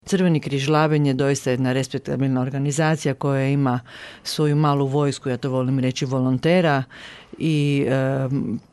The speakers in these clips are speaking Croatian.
Crveni križ Labin je doista jedna respektabilna organizacija koja ima svoju malu vojsku, ja to volim reći, volontera i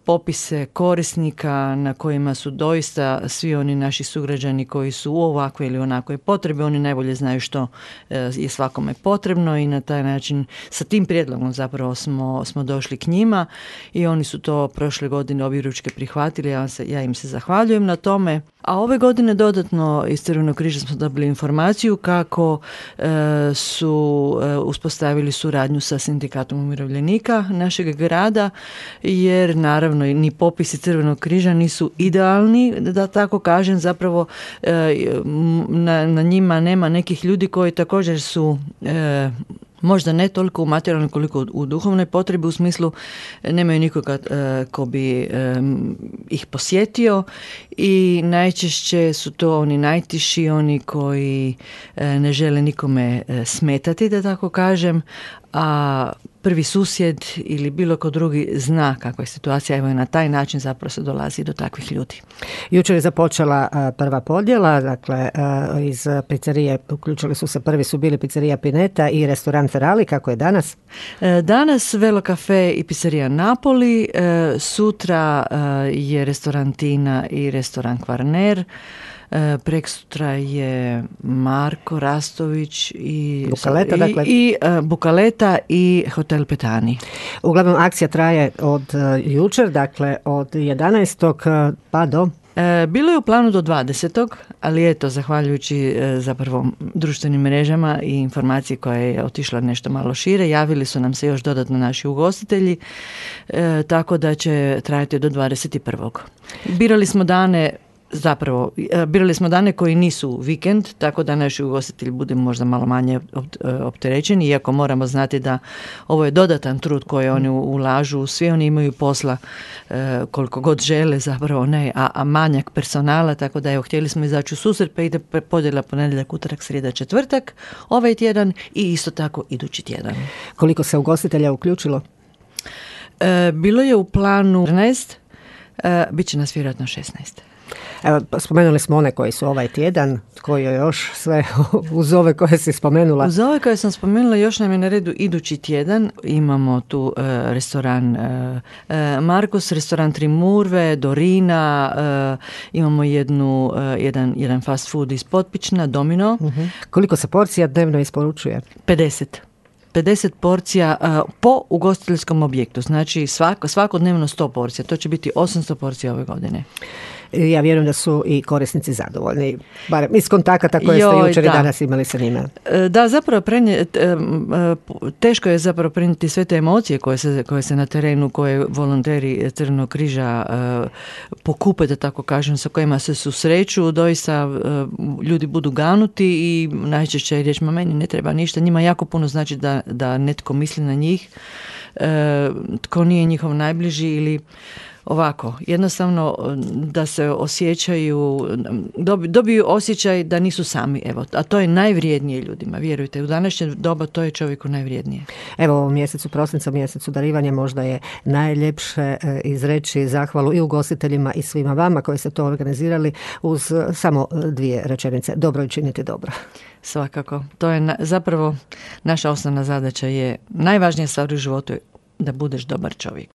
popise korisnika na kojima su doista svi oni naši sugrađani koji su u ovakvoj ili onakvoj potrebi, oni najbolje znaju što je svakome potrebno i na taj način sa tim prijedlogom zapravo smo došli k njima i oni su to prošle godine objeručke prihvatili, ja im se zahvaljujem na tome. A ove godine dodatno iz Crvenog križa smo dobili informaciju kako su uspostavili suradnju sa Sindikatom umirovljenika našeg grada, jer naravno ni popisi Crvenog križa nisu idealni, da tako kažem, zapravo na njima nema nekih ljudi koji također su možda ne toliko u materijalnoj koliko u duhovnoj potrebi, u smislu nemaju nikoga ko bi ih posjetio i najčešće su to oni najtiši, oni koji ne žele nikome smetati, da tako kažem, a prvi susjed ili bilo ko drugi zna kakva je situacija, evo i na taj način zapravo se dolazi do takvih ljudi. Jučer je započela prva podjela, dakle iz pizzerije uključili su se, prvi su bili pizzerija Pineta i restoran Ferali, kako je danas? Danas Velo Cafe i pizzerija Napoli, sutra je restoran Tina i restoran Kvarner, preksutra je Marko Rastović i Bukaleta, dakle. i Bukaleta i Hotel Petani. Uglavnom akcija traje od jučer, dakle od 11. pa do... Bilo je u planu do 20. ali eto, zahvaljujući zapravo društvenim mrežama i informaciji koja je otišla nešto malo šire, javili su nam se još dodatno naši ugostitelji, tako da će trajati do 21. Birali smo dane koji nisu vikend, tako da naši ugostitelji budu možda malo manje opterećeni, iako moramo znati da ovo je dodatan trud koji oni ulažu, svi oni imaju posla koliko god žele, zapravo ne, a manjak personala, tako da evo, htjeli smo izaći u susret, pa ide podjela ponedjeljak, utorak, srijeda, četvrtak, ovaj tjedan i isto tako idući tjedan. Koliko se ugostitelja uključilo? Bilo je u planu 14, bit će nas vjerojatno 16. Evo, spomenuli smo one koji su ovaj tjedan, koji je još sve uz ove koje si spomenula. Uz ove koje sam spomenula još nam je na redu idući tjedan. Imamo tu restoran Markus, restoran Trimurve, Dorina, imamo jedan fast food iz Potpična, Domino. Uh-huh. Koliko se porcija dnevno isporučuje? 50 porcija po ugostiteljskom objektu, znači svakodnevno 100 porcija, to će biti 800 porcija ove godine. Ja vjerujem da su i korisnici zadovoljni, barem iz kontakata koje ste jučer i danas imali sa njima. Da, zapravo teško je zapravo prenijeti sve te emocije koje se na terenu, koje volonteri Crvenog križa pokupe, da tako kažem, sa kojima se susreću, doista ljudi budu ganuti i najčešće je riječ, meni ne treba ništa, njima jako puno znači da netko misli na njih, tko nije njihov najbliži ili ovako, jednostavno da se osjećaju, dobiju osjećaj da nisu sami, evo, a to je najvrijednije ljudima, vjerujte, u današnje doba to je čovjeku najvrijednije. Evo, u mjesecu prosinca, mjesecu darivanja, možda je najljepše izreći zahvalu i ugostiteljima i svima vama koji ste to organizirali uz samo 2 rečenice. Dobro i činiti dobro. Svakako. To je zapravo naša osnovna zadaća, je najvažnija stvar u životu je da budeš dobar čovjek.